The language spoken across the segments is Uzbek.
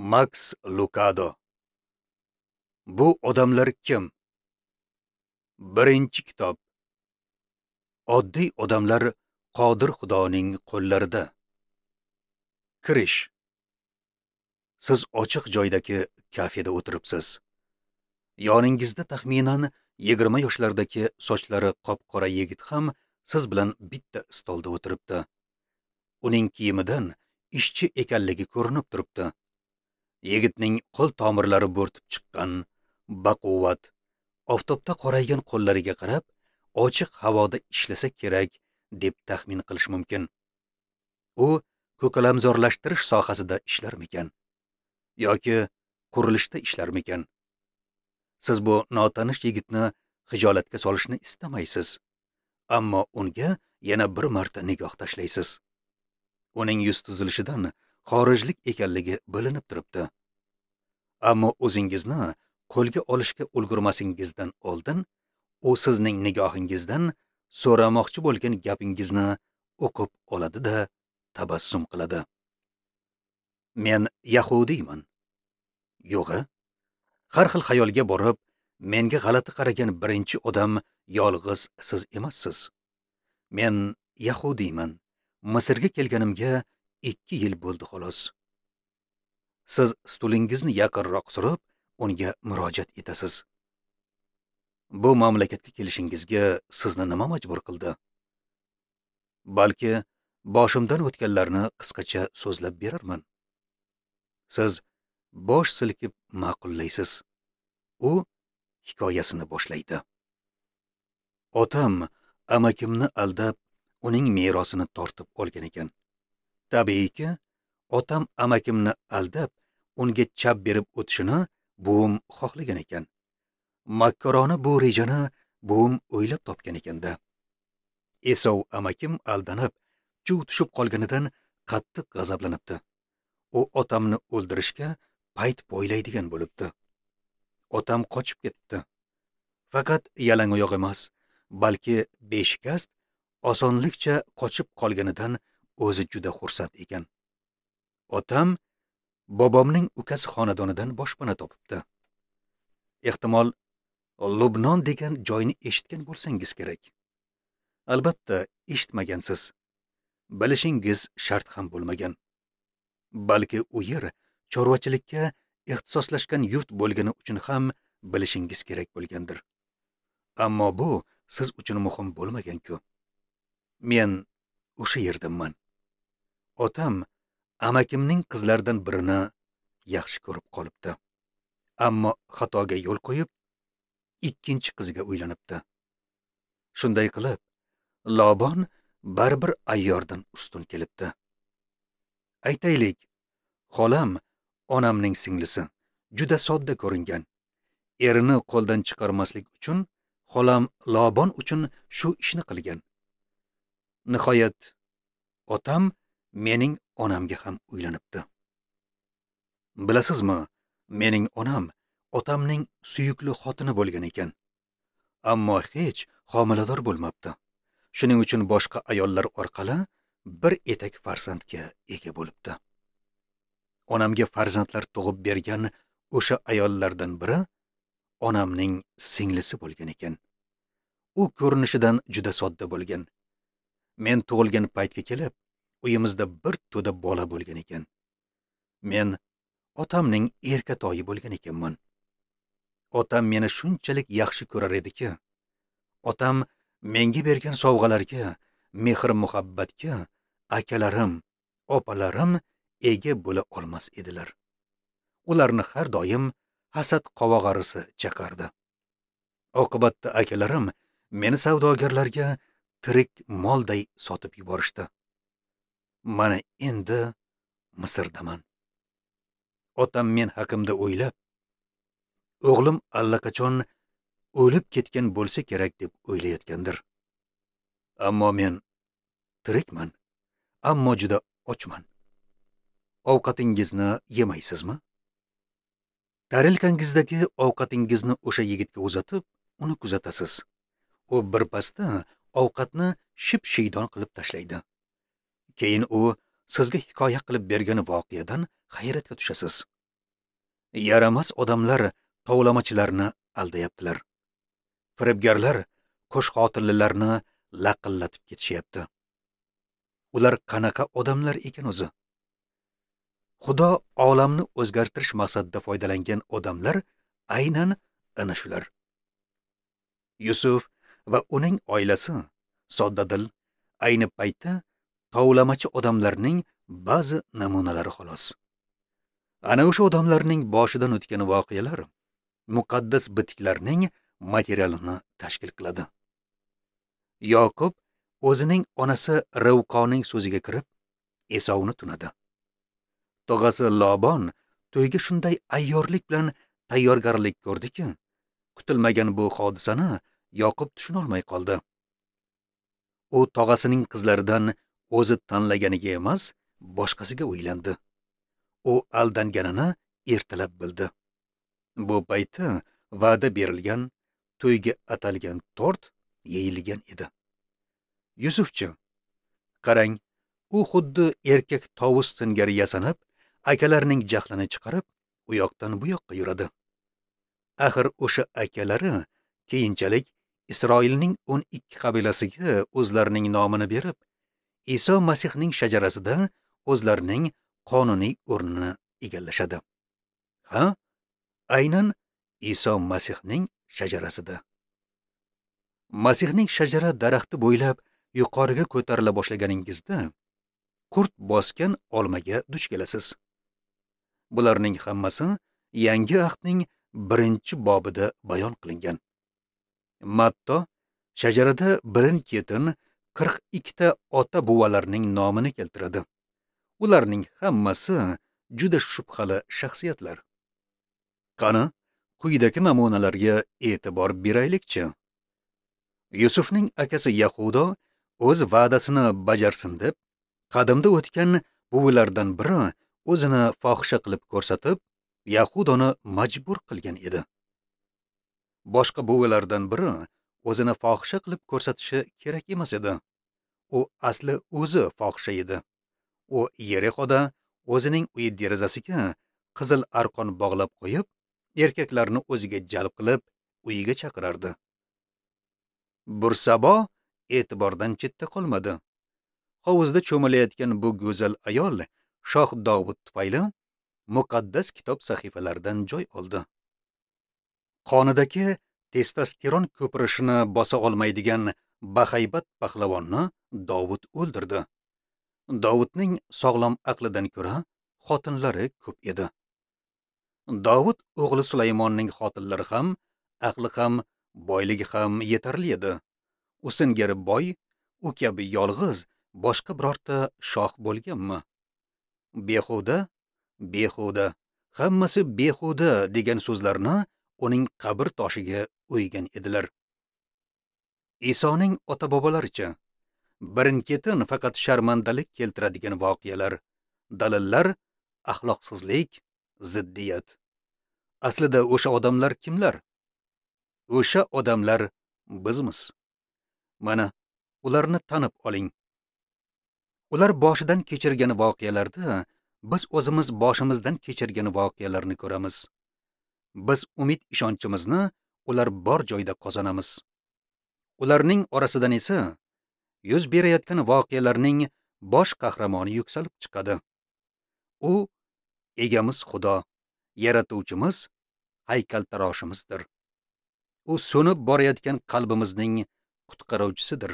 Maks Lukado. Bu odamlar kim? Birinchi kitob. Oddiy odamlar qodir Xudoning qo'llarida. Kirish. Siz ochiq joydagi kafeda o'tiribsiz. Yoningizda taxminan 20 yoshlardagi sochlari qop-qora yigit ham siz bilan bitta stolda o'tiribdi. Uning kiyimidan ishchi ekanligi ko'rinib turibdi. Yigitning qo'l tomirlari bo'rtib chiqqan, baquvvat, oftobda qoraygan qo'llariga qarab, ochiq havoda ishlasa kerak deb taxmin qilish mumkin. U ko'kalamzorlashtirish sohasida ishlarmikan yoki qurilishda ishlarmikan? Siz bu notanish yigitni xijolatga solishni istamaysiz, ammo unga yana bir marta nigoh tashlaysiz. Uning yuz tuzilishidan xorijlik ekanligi bilinib turibdi. Ammo o'zingizni qo'lga olishga ulgurmasingizdan oldin u sizning nigohingizdan so'ramoqchi bo'lgan gapingizni o'qib oladi-da, tabassum qiladi. Men yahudiyman. Yo'g'i, har xil xayolga borib, menga g'alati qaragan birinchi odam yolg'iz siz emassiz. Men yahudiyman. Misrga kelganimga 2 yil bo'ldi xolos. Siz stulingizni yaqinroq surib, unga murojaat etasiz. Bu mamlakatga kelishingizga sizni nima majbur qildi? Balki boshimdan o'tganlarni qisqacha so'zlab berarman. Siz bosh silkib ma'qullaysiz. U hikoyasini boshlaydi. Otam amakimni aldab, uning merosini tortib olgan ekan. Tabiiyki, otam amakimni aldab, unga chap berib o'tishini buvim xohlagan ekan. Makkorona bu rejani buvim o'ylab topgan ekanda. Esov amakim aldanib, chuv tushib qolganidan qattiq g'azablanibdi. U otamni o'ldirishga payt poylaydigan bo'libdi. Otam qochib ketdi. Faqat yalangoyoq emas, balki beshikast osonlikcha qochib qolganidan o'zi juda xursand ekan. Otam bobomning ukasi xonadonidan boshpana topibdi. Ehtimol Lubnon degan joyni eshitgan bo'lsangiz kerak. Albatta eshitmagansiz. Bilishingiz shart ham bo'lmagan. Balki u yer chorvachilikka ixtisoslashgan yurt bo'lgani uchun ham bilishingiz kerak bo'lgandir. Ammo bu siz uchun muhim bo'lmagan-ku. Men o'sha yerdanman. Otam amakimning qizlaridan birini yaxshi ko'rib qolibdi. Ammo xatoga yo'l qo'yib, ikkinchi qiziga uylanibdi. Shunday qilib, Lobon baribir ayyordan ustun kelibdi. Aytaylik, xolam onamning singlisi, juda sodda ko'ringan. Erini qo'ldan chiqarmaslik uchun xolam Lobon uchun shu ishni qilgan. Nihoyat otam mening onamga ham uylanibdi. Bilasizmi, mening onam otamning suyukli xotini bo'lgan ekan. Ammo hech homilador bo'lmabdi. Shuning uchun boshqa ayollar orqali bir etak farzandga ega bo'libdi. Onamga farzandlar tug'ib bergan o'sha ayollardan biri onamning singlisi bo'lgan ekan. U ko'rinishidan juda sodda bo'lgan. Men tug'ilgan paytga kelib, uyimizda bir to'da bola bo'lgan ekan. Men otamning erkatoyi bo'lgan ekanman. Otam meni shunchalik yaxshi ko'rar ediki, otam menga bergan sovg'alarga, mehr-muhabbatga akalarim, opalarim ega bo'la olmas edilar. Ularni har doim hasad qovog'arisi chaqardi. Oqibatda akalarim meni savdogarlarga tirik molday sotib yuborishdi. Mana endi Misrdaman. Otam men haqimda o'ylab, o'g'lim allaqachon o'lib ketgan bo'lsa kerak deb o'ylayotgandir. Ammo men tirikman, ammo juda ochman. Ovqatingizni yemaysizmi? Tarelkangizdagi ovqatingizni o'sha yigitga uzatib, uni kuzatasiz. U birpasda ovqatni ship-shiydon qilib tashlaydi. Keyin u sizga hikoya qilib bergan voqeadan hayratga tushasiz. Yaramas odamlar tovlamachilarni aldayaptilar. Firibgarlar qo'shxotinlilarni laqillatib ketishyapti. Ular qanaqa odamlar ekan o'zi? Xudo olamni o'zgartirish maqsadida foydalangan odamlar aynan ana shular. Yusuf va uning oilasi soddadil, ayni paytda tovlamachi odamlarning ba'zi namunalari xolos. Ana o'sha odamlarning boshidan o'tgan voqealar muqaddas bitiklarning materialini tashkil qiladi. Yoqub o'zining onasi Rivqoning so'ziga kirib, Esovni tunadi. Tog'asi Lobon to'yga shunday ayyorlik bilan tayyorgarlik ko'rdiki, kutilmagan bu hodisani Yoqub tushuna olmay qoldi. U tog'asining qizlaridan o'zi tanlaganiga emas, boshqasiga uylandi. U aldanganini ertalab bildi. Bu paytda va'da berilgan, to'yga atalgan tort yeyilgan edi. Yusufchi, qarang, u xuddi erkak tovus singari yasanib, akalarining jahlini chiqarib, u yoqdan bu yoqqa yuradi. Axir o'sha akalari keyinchalik Isroilning 12 qabilasiga o'zlarining nomini berib, Iso Masihning shajarasida o'zlarining qonuniy o'rnini egallashadi. Ha, aynan Iso Masihning shajarasida. Masihning shajara daraxti bo'ylab yuqoriga ko'tarila boshlaganingizda qurt bosgan olmaga duch kelasiz. Bularning hammasi Yangi Ahdning 1-bobida bayon qilingan. Matto shajarada birin-ketin 42 ta ota-buvalarning nomini keltiradi. Ularning hammasi juda shubhali shaxsiyatlar. Qani, quyidagi namunalarga e'tibor beraylikchi. Yusufning akasi Yahudo o'z va'dasini bajarsin deb, qadimda o'tgan buvilardan biri o'zini fohisha qilib ko'rsatib, Yahudoni majbur qilgan edi. Boshqa buvilardan biri o'zini fohisha qilib ko'rsatishi kerak emas edi. U asli o'zi fohisha edi. U Yerixoda o'zining uyi derazasiga qizil arqon bog'lab qo'yib, erkaklarni o'ziga jalb qilib, uyiga chaqirardi. Bursabo e'tibordan chetda qolmadi. Hovuzda cho'milayotgan bu go'zal ayol Shoh Dovud tufayli muqaddas kitob sahifalaridan joy oldi. Qonidagi testosteron ko'pirishini bosa olmaydigan bahaybat pahlavonni Dovud o'ldirdi. Dovudning sog'lom aqlidan ko'ra xotinlari ko'p edi. Dovud o'g'li Sulaymonning xotinlari ham, aqli ham, boyligi ham yetarli edi. U singari boy, u kabi yolg'iz boshqa birorta shoh bo'lganmi? Behuda, behuda, hammasi behuda degan so'zlarni uning qabr toshiga o'ygan edilar. Isoning ota-bobolaricha birin-ketin faqat sharmandalik keltiradigan voqealar, dalillar, axloqsizlik, ziddiyat. Aslida o'sha odamlar kimlar? O'sha odamlar bizmiz. Mana ularni tanib oling. Ular boshidan kechirgan voqealarda biz o'zimiz boshimizdan kechirgan voqealarni ko'ramiz. Biz umid ishonchimizni ular bor joyda qozonamiz. Ularning orasidan esa yuz berayotgan voqealarning bosh qahramoni yuksalib chiqadi. U egamiz Xudo, yaratuvchimiz, haykaltaroshimizdir. U so'nib borayotgan qalbimizning qutqaruvchisidir.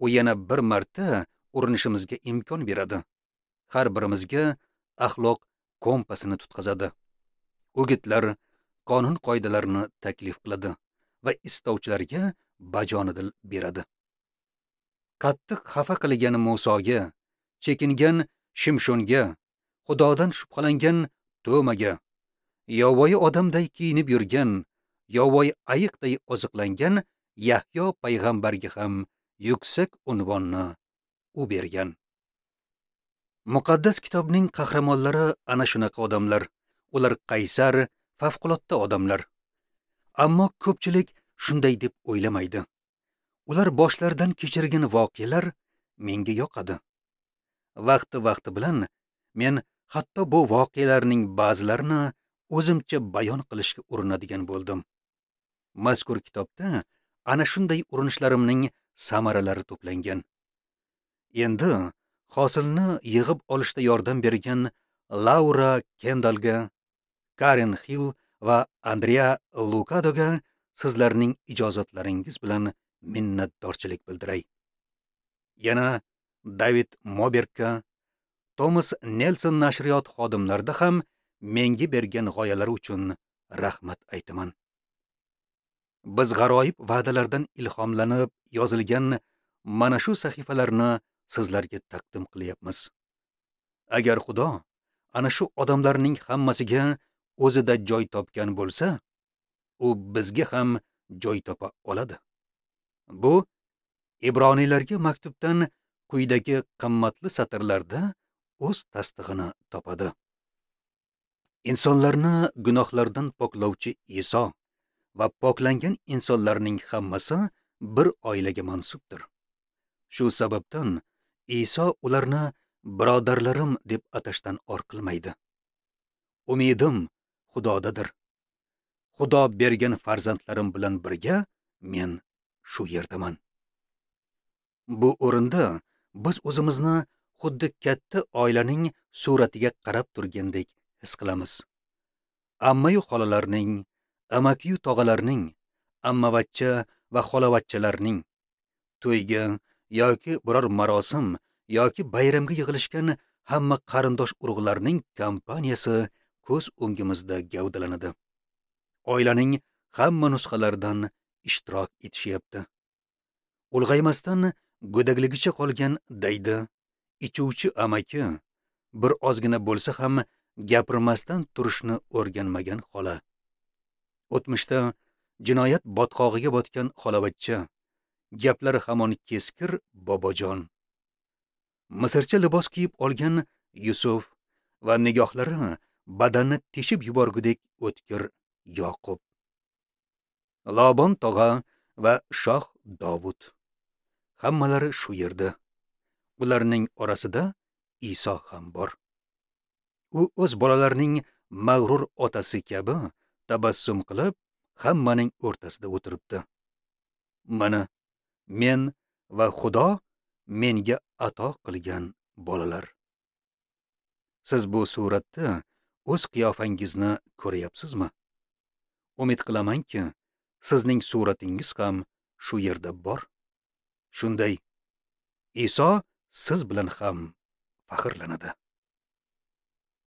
U yana bir marta urinishimizga imkon beradi. Har birimizga axloq kompasini tutqazadi. O'gitlar, qonun qoidalarini taklif qiladi va istovchilarga bajonidil beradi. Qattiq xafa qilgan Musoga, chekingan Shimshonga, Xudodan shubhalangan To'maga, yovvoyi odamday kiyinib yurgan, yovvoyi ayiqday oziqlangan Yahyo payg'ambarga ham yuksak unvonni u bergan. Muqaddas kitobning qahramonlari ana shunaqa odamlar. Ular qaysar, favqulodda odamlar. Ammo ko'pchilik shunday deb o'ylamaydi. Ular boshlaridan kechirgan voqealar menga yoqadi. Vaqti-vaqti bilan men hatto bu voqealarning ba'zilarini o'zimcha bayon qilishga urinadigan bo'ldim. Mazkur kitobda ana shunday urinishlarimning samaralari to'plangan. Endi hosilni yig'ib olishda yordam bergan Laura Kendallga, Karen Hill va Andrea Lukadoga sizlarning ijozatlaringiz bilan minnatdorchilik bildiray. Yana David Mobergga, Thomas Nelson nashriyot xodimlarida ham menga bergan g'oyalari uchun rahmat aytaman. Biz g'aroyib va'dalardan ilhomlanib yozilgan mana shu sahifalarni sizlarga taqdim qilyapmiz. Agar Xudo ana shu odamlarning hammasiga o'zida joy topgan bo'lsa, u bizga ham joy topa oladi. Bu Ibroniylarga maktubdan quyidagi qimmatli satrlarda o'z tasdig'ini topadi. Insonlarni gunohlardan poklovchi Iso va poklangan insonlarning hammasi bir oilaga mansubdir. Shu sababdan Iso ularni birodarlarim deb atashdan or qilmaydi. Umidim Xudodadir. Xudo bergan farzandlarim bilan birga men shu yerdaman. Bu o'rinda biz o'zimizni xuddi katta oilaning suratiga qarab turgandek his qilamiz. Ammayu xolalarning, amakiyu tog'alarning, ammavachcha va xolavachchalarning to'yga yoki biror marosim yoki bayramga yig'ilishgan hamma qarindosh urug'larning kompaniyasi ko'z o'ngimizda gavdalanadi. Oilaning hamma nusxalaridan ishtirok etishyapti. Ulg'aymasdan go'dakligicha qolgan daydi, ichuvchi amaki, bir ozgina bo'lsa ham gapirmasdan turishni o'rganmagan xola. O'tmishda jinoyat botqog'iga botgan xolavachcha, gaplari hamon keskir bobojon. Misrcha libos kiyib olgan Yusuf va nigohlari badanni teshib yuborgudek o'tkir Yoqub. Lobon tog'a va shoh Dovud. Hammalari shu yerda. Ularning orasida Iso ham bor. U o'z bolalarining mag'rur otasi kabi tabassum qilib, hammaning o'rtasida o'tiribdi. Mana men va Xudo menga ato qilgan bolalar. Siz bu suratda o'z qiyofangizni ko'ryapsizmi? Umid qilamanki, sizning suratingiz ham shu yerda bor. Shunday, Iso siz bilan ham faxrlanadi.